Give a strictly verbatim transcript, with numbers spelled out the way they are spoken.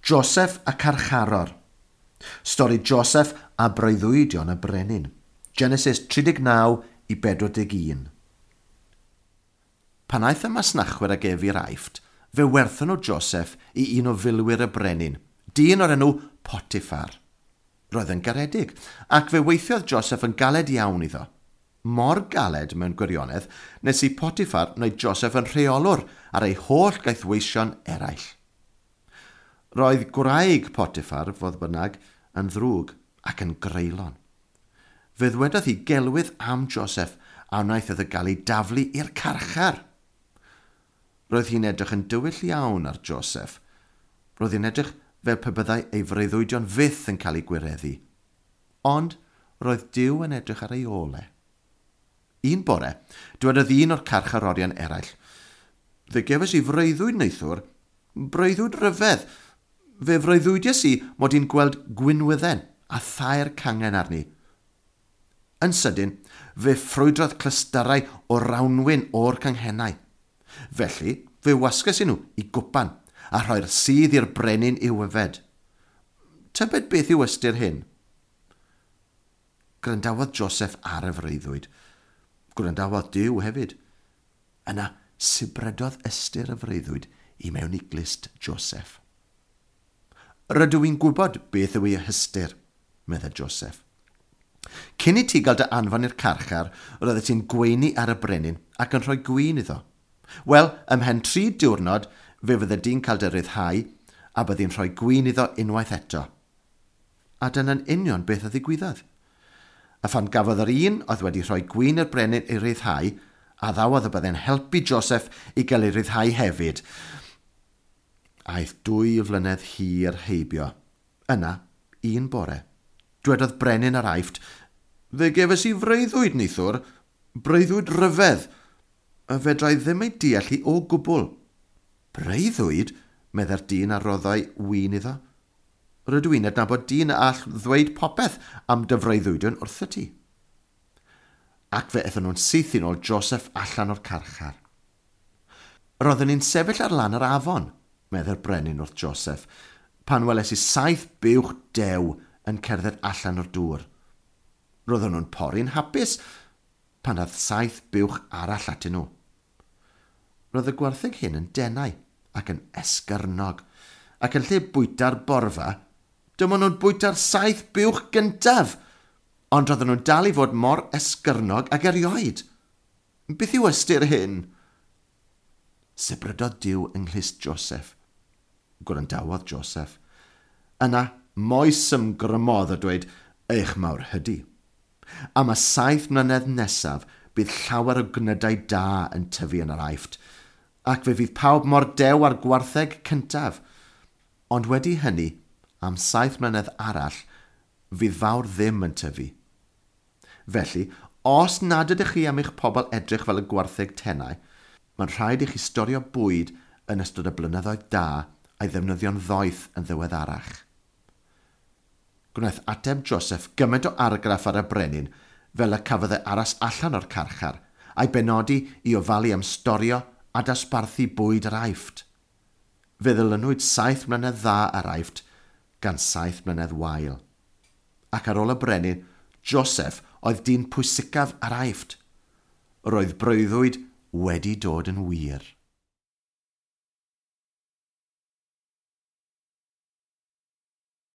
Joseph y carcharor. Stori Joseph a breuddwydion y brenin. Genesis tri deg naw i bedwar deg un. Pan aeth y masnachwyr ag ef i'r Aifft, fe werthon nhw Joseph i un o filwyr y brenin, dyn o'r enw Potiphar. Roedd yn garedig, ac fe weithiodd Joseph yn galed iawn iddo. Mor galed mewn gwirionedd, nes i Potiphar wneud Joseph yn rheolwr ar ei holl gaethweision eraill. Roedd gwraig Potiphar, fodd bynnag, yn ddrwg ac yn greulon. Fe ddwedodd hi gelwydd am Joseph a wnaeth iddo gael ei daflu i'r carchar. Roedd hi'n edrych yn dywyll iawn ar Joseph. Roedd hi'n edrych fel pe byddai ei freuddwydion fyth yn cael ei gwireddu. Ond roedd Duw yn edrych ar ei ôl e. Un bore, dwedodd un o'r carcharorion eraill, "Fe gefais i freuddwyd neithiwr, breuddwyd ryfedd. Fe freuddwydiais i mod i'n gweld gwinwydden a thair cangen arni." Yn sydyn, fe ffrwydrodd clystyrau o rawnwin o'r canghennau. Felly, fe wasges i nhw i gwpan a rhoi'r sudd i'r brenin i'w yfed. Tybed beth yw ystyr hyn? Gwrandawodd Joseph ar y freuddwyd. Gwrandawodd Duw hefyd. Yna, sibrydodd ystyr y freuddwyd i mewn i glust Joseph. "Rydw i'n gwybod beth yw ei hystyr," meddai Joseph. "Cyn i ti gael dy anfon i'r carchar, roeddet ti'n gweini ar y brenin ac yn rhoi gwin iddo. Wel, ymhen tri diwrnod, fe fydde di'n cael dy ryddhau a byddi'n rhoi gwin iddo unwaith eto." A dyna'n union beth a ddigwyddodd. A phan gafodd yr un oedd wedi rhoi gwin i'r brenin ei ryddhau, addawodd y byddai'n helpu Joseph i gael ei ryddhau hefyd. Aeth dwy flynedd hir heibio. Yna, un bore, dwedodd brenin yr Aifft, "Fe gefais i freuddwyd neithiwr, breuddwyd ryfedd, a fedrai ddim ei deall hi o gwbl." "Breuddwyd?" meddai'r dyn a roddai win iddo. "Rydw i'n adnabod dyn a all ddweud popeth am dy freuddwydion wrthyt ti." Ac fe aethon nhw'n syth i nôl Joseph allan o'r carchar. "Roeddwn i'n sefyll ar lan yr afon," meddai'r brenin wrth Joseph, "pan weles i saith buwch dew yn cerdded allan o'r dŵr. Roeddwn nhw'n pori'n hapus pan ddaeth saith buwch arall atyn nhw. Roedd y gwartheg hyn yn denau ac yn esgyrnog, ac yn lle bwyta'r borfa, dyma nhw'n bwyta'r saith buwch gyntaf, ond roedden nhw'n dal i fod mor esgyrnog ag erioed. Beth yw ystyr hyn?" Sibrydodd Duw yng nghlust Joseph. Gwrandawodd Joseph. Yna, moesymgrymodd a dweud, "Eich mawr hydi. Am y saith mlynedd nesaf, bydd llawer o gnydau da yn tyfu yn yr Aifft, ac fe fydd pawb mor dew â'r gwartheg cyntaf. Ond wedi hynny, am saith mlynedd arall, fydd fawr ddim yn tyfu. Felly, os nad ydych chi am eich pobl edrych fel y gwartheg tenau, mae'n rhaid i chi storio bwyd yn ystod y blynyddoedd da a'i ddefnyddio'n ddoeth yn ddiweddarach." Gwnaeth ateb Joseph gymaint o argraff ar y brenin fel y cafodd e aros allan o'r carchar a'i benodi i ofalu am storio a dosbarthu bwyd yr Aifft. Fe ddilynwyd saith mlynedd dda ar Aifft gan saith mlynedd wael. Ac ar ôl y brenin, Joseph oedd dyn pwysicaf ar Aifft. Roedd breuddwyd wedi dod yn wir.